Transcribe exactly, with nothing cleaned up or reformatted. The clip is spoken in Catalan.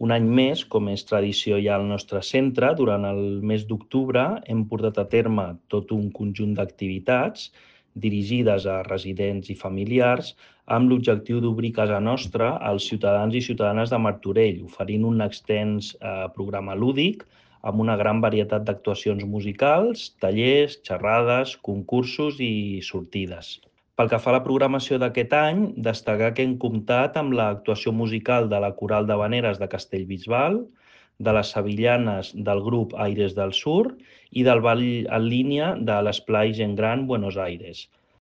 Un any més, com és tradició ja al nostre centre, durant el mes d'octubre hem portat a terme tot un conjunt d'activitats dirigides a residents i familiars amb l'objectiu d'obrir casa nostra als ciutadans i ciutadanes de Martorell, oferint un extens eh, programa lúdic amb una gran varietat d'actuacions musicals, tallers, xerrades, concursos i sortides. Pel que fa a la programació d'aquest any, destacar que hem comptat amb l'actuació musical de la Coral d'Havaneres de Castellbisbal, de les Sevillanes del grup Aires del Sur i del ball en línia de l'Esplai Gent Gran Buenos Aires.